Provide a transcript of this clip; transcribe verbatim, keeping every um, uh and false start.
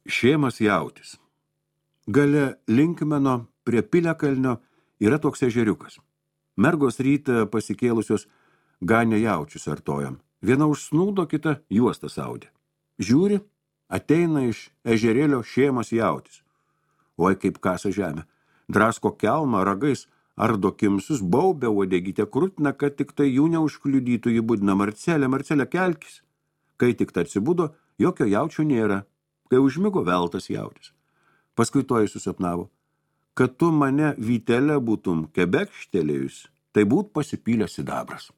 Šėmas jautis. Gale Linkmeno prie Piliakalnio yra toks ežeriukas. Mergos rytą pasikėlusios ganė jaučius artojam. Viena užsnūdo, kita juostą saudė. Žiūri, ateina iš ežerėlio šėmas jautis. Oi, kaip kasa žemė. Drasko kelmą ragais, ardo kimsus, baubė uodegytę krutina, kad tik tai jų neužkliudytų, jį budina Marcelė, Marcelė kelkis. Kai tik tai atsibudo, jokio jaučio nėra. Kai užmigo, veltas jautis. Paskui to jis susapnavo, kad tu mane vytelę būtum kebekštelėjus, tai būt pasipylęs sidabras.